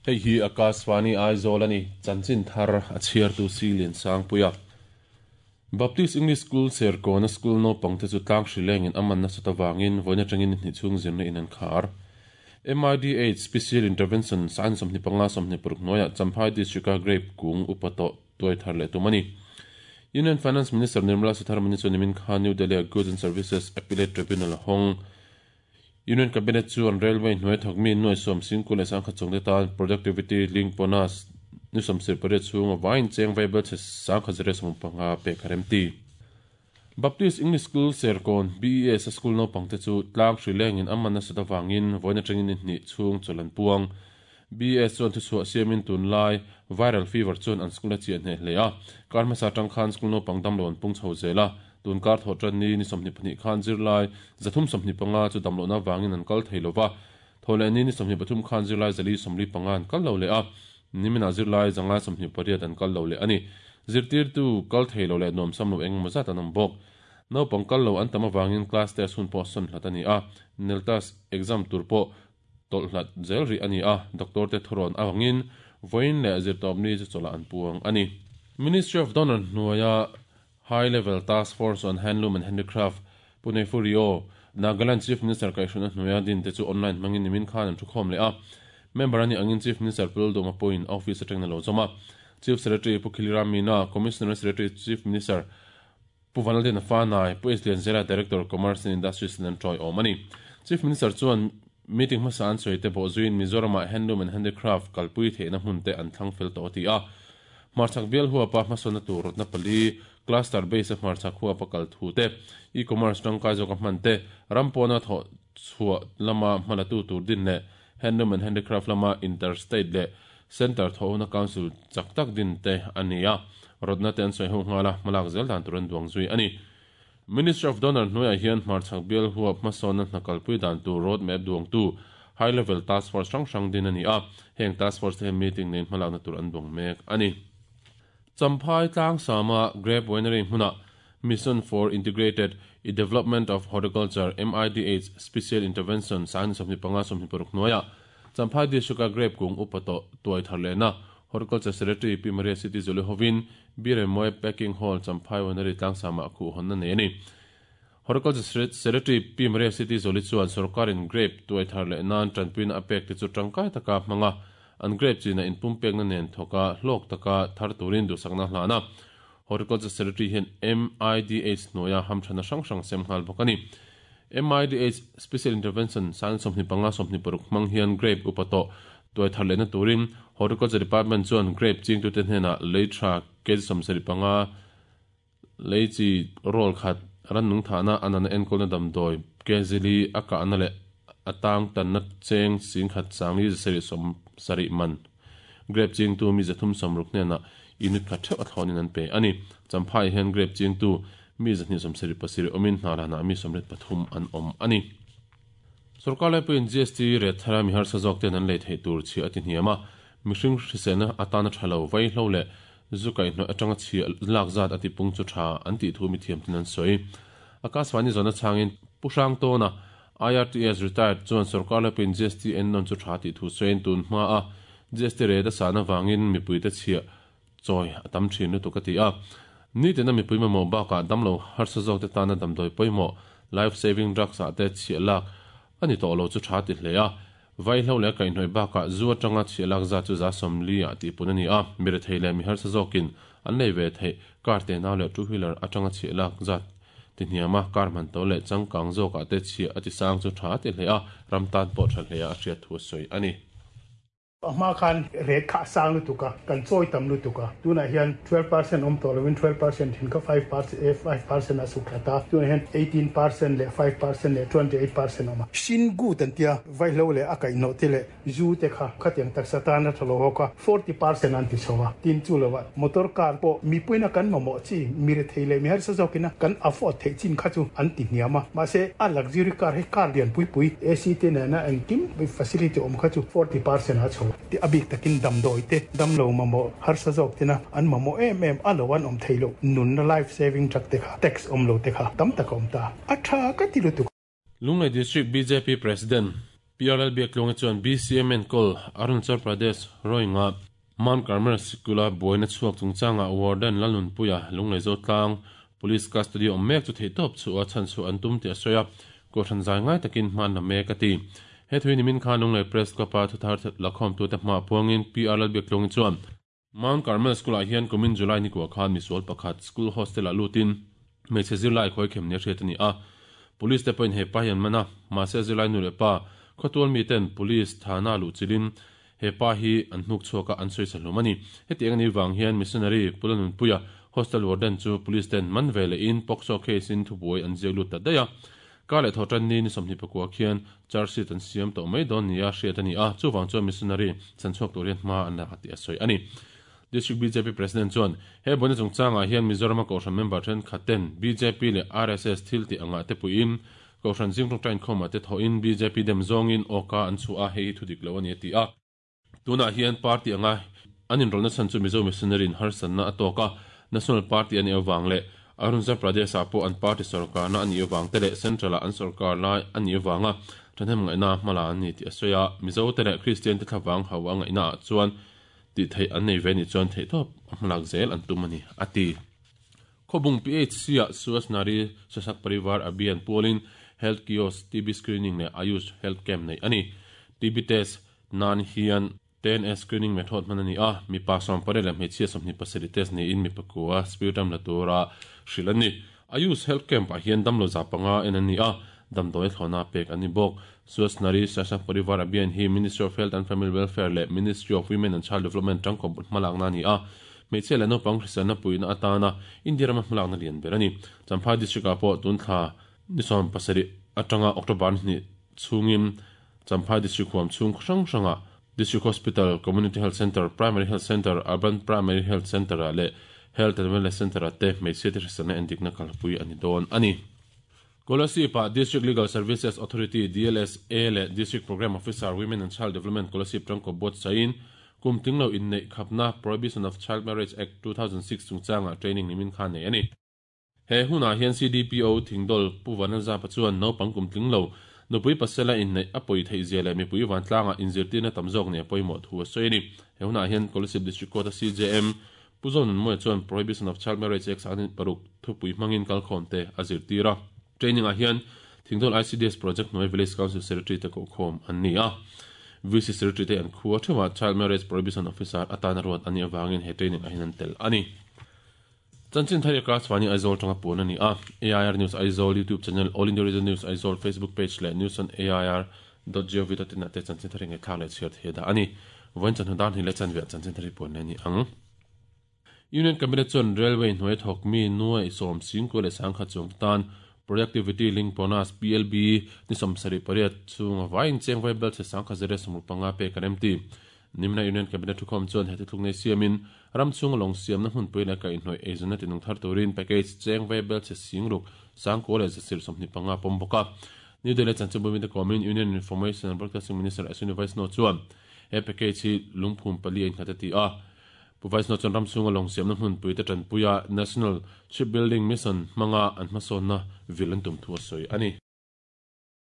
Hei hi Akashvani Aizawl a ni, chanchin thar a chhiartu Silian Sangpuia. Baptist English School Serkawna school naupangte chu tlang hri lengin a man nasat avangin vawiin atangin ni hnih chhung zirna in an khar. MIDH Special Intervention Science 25 26 hnuaiah Champhai District-a grape kung upa tawh tuai thar leh tum a ni. Union Finance Minister Nirmala Sitharaman-i chuan nimin khan New Delhi-a Goods and Services Appellate Tribunal a hawng. Union Cabinet chuan Railway hnuai thawk mi nuai sawm singkul leh sangkhat chungte tan Productivity Link Bonus ni 78 chhunga vaiin cheng vaibel chhe sangkhat zariat 15 pek a remti. Baptist English School Serkawn, BES, a school naupangte chu tlang hri lengin a man nasat avangin vawiin atangin ni hnih chhung chawlh an puang. BES chuan thuchhuah siamin tunlai viral fever chuan an school a chiah hneh hle a. Kar hmasa atang khan school naupang damlo an pung chho zel a. Tun kar thawh tan ni ni 22 khan zirlai 325 chu damlohna avangin an kal thei lo va. Thawh leh ni ni 23 khan zirlai 445 an kal lo leh a. Niminah zirlai 528 an kal lo leh a ni. Zirtirtu kal thei lo leh nuamsam lo eng emaw zat an awm bawk. Naupang kal lo an tam avangin class test hun pawh sawn hlat a ni a. Neltas exam tur pawh tawlh hlat zel rih a ni a, doctor te thurawn avangin vawiin leh zirtawpni chu chawlh ah an puang a ni. Ministry of Donor hnuaia High Level Task Force on Handloom and Handicraft, Pune Furio, Nagaland Chief Minister kaihhruina hnuaia din te chu online hmangin nimin khan an thukhawm leh a. Member a nih angin Chief Minister Pu Lalduhma pawhin a office atangin a lo zawm a. Chief Secretary Pu Khiliram Meena, Commissioner Secretary Chief Minister Pu Vanlalden Fanai, Pu S Lianzela, Director, Commerce and Industries ten an tawiawm a ni. Chief Minister chuan meeting hmasa an sawi te bawh zuiin Mizoramah Handloom and Handicraft kalpui theihna hmun te an thlang fel tawh a ti a. Hmarchhak bial huapa hmasawnna tur rawtna pali, cluster base a hmarchhak huapa kal thu te, e-commerce tangkai zawka hman te, ram pawna thawh chhuah lama hmalatu tur din leh Handloom and Handicraft lama inter-state leh Centre thawhna Council chak tak din te a ni a, rawtna te an sawi ho nghal a, hmalak zel dan tur an duang zui a ni. Ministry of Donor hnuaiah hian hmarchhak bial huap hmasawnna hna kalpui dan tur road map duangtu High Level Task Force hrang hrang din a ni a, heng task force te hian meeting neiin hmalakna tur an duang mek a ni. Champhai Tlangsama Grape Winery hmunah Mission for Integrated i Development of Horticulture, MIDH, Special Intervention Sangni 25 26 hnuaiah Champhai District-a grape kung upa tawh tuai thar lehna Horticulture Secretary Pi Maria City Zuli hovin Biremawia Packing Hall Champhai Winery tlangsamah khuhhawnna nei a ni. Horticulture Secretary Pi Maria City Zuli chuan sorkarin grape tuai thar leh nan tanpuina a pek te chu tangkai taka hmanga an grape china inpumpekna nen thawka hlawk taka thar turin duhsakna hlan a. Horticulture Secretary hian MIDH hnuaia hamthana hrang hrang sem nghal bawk a ni. MIDH Special Intervention Science 25 26 hmang hian grape upa tawh tuai thar lehna turin Horticulture Department chuan grape chingtute hnenah lei tha kg 75 lei chi roll khat rannung thahna a nana enkawlna damdawi kg li a kahna leh a tang tanna cheng singkhat sangli zasarih 70 man grape chingtu mi 360 hnenah unit khat theuh a thlawnin an pe a ni. Champhai hian grape chingtu mi 277 awmin hna lanah mi 83 an awm a ni. Sorkar laipuiin GST ret thara mi harsa zawk ten an lei theih tur chhiah a ti hniam a, mihring hriselna atana tha lo vaihlo leh zu kaihhnawih atanga chhiah lak zat a tipung chu tha an tih thu mithiam ten an sawi. Akashvani zawhna chhangin Pu Hrangtawna, IRTS retired, chuan sorkar laipuiin GST ennawn chu tha tih thu sawiin tun hma a GST ret a sahna vangin mipuite chhiah chawi a tam thin lutuk a ti a. Nitina mipui mamawh bakah damlo harsa zawkte tana damdawi pawimawh, life saving drugs ah te chhiah lak a ni tawh lo chu tha ti hle a. Vaihlo leh kaihhnawih bakah zu atanga chhiah lak zat chu 40% ah tihpun a ni a, mi rethei leh mi harsa zawkin an lei ve theih car tenau leh two wheeler atanga chhiah lak zat ti hniam a, car hman to leh changkang zawkah te chhiah a ti sang chu tha ti hle a, ram tan pawh tha hle a a hriat thu a sawi a ni. A hma khan rate kha a sang lutuk a, kan chawi tam lutuk a. Tunah hian 12% awm tawh lovin 12% thin kha 5% a suk thla ta. Tunah hian 18% leh 5% leh 28% a awm a. Sin gut an tia, vaihlo leh a kaihhnawh te leh zu te kha khatiang taksa tan a tha lo hawk a, 40% an ti chho a. Tin chu lovah motor car pawh mipuina kan mamawh chi, mi rethei leh mi harsa zawkina kan afford theih chin kha chu an ti hniam a. Mahse, a luxury car hi car lian pui pui, AC te nena engkim facility awm kha chu 40% a chho tih a bik takin damdawi te, damlo mamawh, harsa zawk tena an mamawh em em a lo an awm thei loh nunna life saving drug te kha tax awm lo te kha tam tak a awm ta. A tha ka ti lutuk. Lunglei District bjp President. PR Lalbiaktluanga chuan BCM enkawl Arunachal Pradesh Roing-a Mount Carmel sikula buaina chhuak chungchangah Warden Lalnunpuia Lunglei Zotlang Police custody awm mek chu theihtawp chhuah a chhan chhuah an tum tih a sawi a, Kohhran zai ngai takin hman la mek a ti. He thui nimin khan Lunglei Press Club-a thuthar lakhawmtute hmaah puangin PR Lalbiaktluangi chuan, Mount Carmel School-ah hian kumin July nikua khan misual pakhat school hostel-ah lutin hmeichhe zirlai khawi khem nia hriat a ni a. Police te pawhin he pa hi an man a, mahse zirlai nu leh pa, khawtual miten police thana luh chilhin he pa hi an hnuk chhuak a, an sawi sa hlum a ni. Hetiang a nih vang hian missionary Pula Nunpuia hostel warden chu police ten man ve lehin POCSO case-in thubuai an ziak lut ta daih a. Kar leh thawhtan ni ni 24 khian charge sheet an siam tawh mai dawn nia hriat a ni a, chuvang chuan missionary chhanchhuak tur hian hma an la tih a sawi a ni. District bjp President chuan he buaina chungchangah hian Mizorama Kohhran member thenkhat ten bjp leh RSS thil tih angah te puiin Kohhran zing tawngtai inkhawmah te thawhin bjp dem zawngin awka an chhuah a, hei hi thudik lo a ni a ti a. Tunah hian party anga an inrawlhna chhan chu Mizo missionary in harsatna a tawk a, National Party a nih avang leh Arunachal Pradesh-ah pawh an party sorkarna a nih avang te leh Central-ah an sorkar lai a nih avanga thahnem ngaihna hmala an ni tih a sawi a. Mizo te leh Kristian te thlavang hau a ngaihna ah chuan tih theih an nei ve nih chuan theihtawp a hmalak zel an tum a ni, a ti. Khawbung PHC-ah Suas Nari Sasak Parivar Abhiyan pualin Health Kiosk, TB Screening leh Ayush Health Camp neih a ni. TB Test Nan hian TNS screening method hman a ni a, mipa 18 leh hmeichhia 27 test niin mipa kua sputum la tura hrilh an ni. Ayush Health Camp ah hian damlo za panga en an ni a, damdawi thlawhna pek an ni bawk. Swasth Nari Sashakt Parivar Abhiyan hi Ministry of Health and Family Welfare leh Ministry of Women and Child Development tangkawp hmalakna a ni a, hmeichhia leh naupang hriselna puihna atana India rama hmalakna lian ber a ni. Champhai District ah pawh tun thla ni 17 atanga October ni hnih chhungin Champhai District huam chhung hrang hrangah District Hospital, Community Health Centre, Primary Health Centre, Urban Primary Health Centre-ah leh Health and Wellness Centre-ah te hmeichhia te hriselna endikna kalpui a ni dawn a ni. Kolasib-ah District Legal Services Authority, DLSA, leh District Programme Officer, Women and Child Development Kolasib tangkaw buatsain kum tinglo inneih khapna Prohibition of Child Marriage Act, 2006 chungchangah training nimin kha nei a ni. He hunah hian CDPO Thingdawl Pu Vanlalzapa chuan naupang kum tling lo, nupui pasela inneih a pawi theih zia leh mipui vantlangah inzirtirna tam zawk nih a pawimawh thu a sawi a ni. He hunah hian Kolasib District Court-a CJM Pu Zonunmawia chuan Prohibition of Child Marriage Act 2006 thupui hmangin kalkhawmte a zirtir a. Training-ah hian Thingdawl ICDS Project hnuai Village Council Secretary te kohkhawm an ni a. VC Secretary te an khua theuhah Child Marriage Prohibition Officer atana ruat an nih avangin he training-ah hian an tel a ni. Chanchin thar Yakraj Vani Aizawl tanga puan a ni a, AIR News Aizawl YouTube channel, All India Radio News Aizawl Facebook page leh news on air dot gov dot in ah te chanchin thar hi ngaihthlak leh chhiar thei a dah a ni. Vawiin chawhnu dan hnih leh chanve ah chanchin thar hi puan leh a ni ang. Union Cabinet chuan Railway hnuai thawk mi nuai 70 leh 10,000 chuang te tan Productivity Link Bonus, PLB, ni 78 chhunga vaiin cheng vai belchhe 10,165 pek an remti. Nimina Union Cabinet thukhawm chuan he thuthluk nei siamin ram chhunga lawng siamna hmunpui leh kaihhnawih eizawnna tinung thar turin package cheng ve belchhe 6000 9 leh 125 pawm bawk a. New Delhi chanchinbu mite kawmin Union Information and Broadcasting Minister Ashwini Vaishnaw chuan he package hi lungphum pali a innghat a ti a. Pu Vaishnaw chuan ram chhunga lawng siamna hmunpui te tanpuia National Shipbuilding Mission hmanga an hmasawnna vil an tum thu a sawi a ni.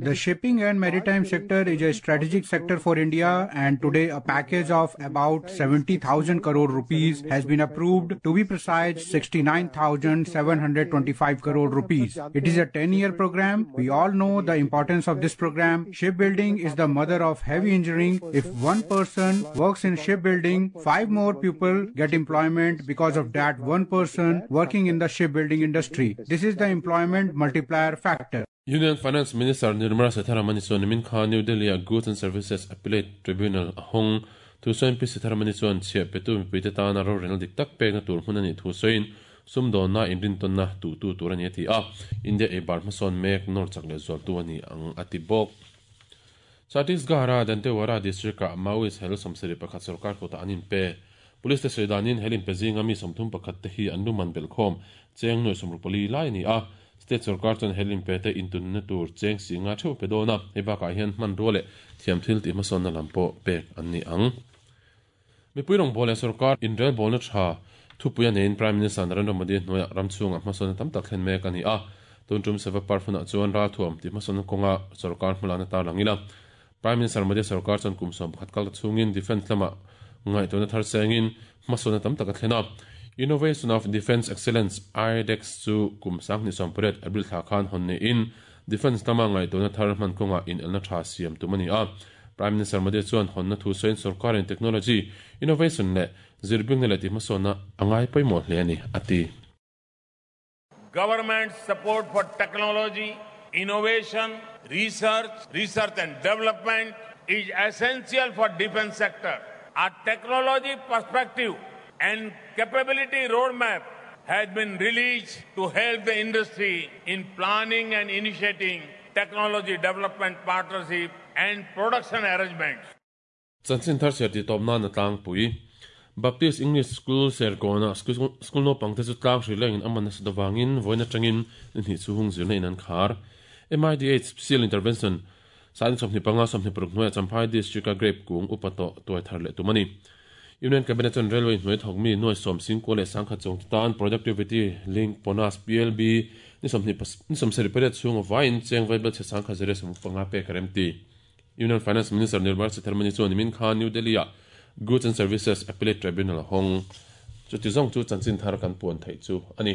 The shipping and maritime sector is a strategic sector for India, and today a package of about 70,000 crore rupees has been approved, to be precise 69,725 crore rupees. It is a 10-year program. We all know the importance of this program. Shipbuilding is the mother of heavy engineering. If one person works in shipbuilding, 5 more people get employment because of that one person working in the shipbuilding industry. This is the employment multiplier factor. Union Finance Minister Nirmala Sitharaman chuan nimin kha New Delhi-a Goods and Services Appellate Tribunal a hawng. Thu sawiin Pi Sitharaman chuan chhiah petu mipuite tana rorelna dik tak pekna tur hmun a nih thu sawiin sumdawnna inrintawnna tuhtu tur a ni a ti a, India eibar hmasawn mek nawr chak leh zualtu a ni ang a ti bawk. Chhattisgarh-a Dantewara District-ah Maoist hel 71 sorkar kutah an inpe. Police te sawi danin hel inpe zinga mi 31 te hi an luman belhkhawm cheng nuai 64 lai a ni a. State sorkar chuan hel inpe te intunna tur cheng si nga theuh a pe dawn a, hei bakah hian hmanrua leh thiam thil tih hmasawnna lam pawh pek an ni ang. Mipui rawngbâwl leh sorkar inrelbâwlna ṭha thupui a neiin Prime Minister Narendra Modi hnuaiah ram chhungah hmasawnna tam tak thlen mek a ni a. Tun ṭum Seva Parv hunah chuan ralthuam tih hmasawnna kawnga sorkar hmalakna tarlang ila. Prime Minister Modi sorkar chuan kum 11 kal ta chhungin defence lamah ngaihtuahna thar sengin hmasawnna tam tak a thlen a. Innovation of Defence Excellence, IDEX, chu kum 2018 April thla khan hawn niin defence lama ngaihtuahna thar hman kawngah inelna tha siam tum a ni a. Prime Minister Modi chuan hawnna thu sawiin sorkarin technology, innovation leh zirbingna leh tihhmasawnna a ngai pawimawh hle a ni, a ti. Government support for technology, innovation, research, research and development is essential for defence sector. Our technology perspective and capability roadmap has been released to help the industry in planning and initiating technology development partnership and production arrangements. Chanchin thar chhiar tih tawp nan a tlangpui. Baptist English School Serkawnah school naupangte chu tlang hrih lengin a man nasa avangin vawiin atangin ni hnih chu hung zirna in an khar. MIDH Special Intervention Sain 25 26 hnuaiah Champhai District-a grape kung upa tawh tuai thar leh tum a ni. Union Cabinet chuan Railway hnuai thawkmi nuai sawm singkua leh sangkhat chungte tan Productivity Link Bonus, PLB, ni 20 ni 78 chhunga vaiin cheng vaibel chhe sangkhat zirlai 15 pek a rem ti. Union Finance Minister Nirmala Sitharaman chuan nimin khan New Delhi-ah Goods and Services Appellate Tribunal a hawng. Chuti zawng chu chanchin thar kan puan theih chu a ni.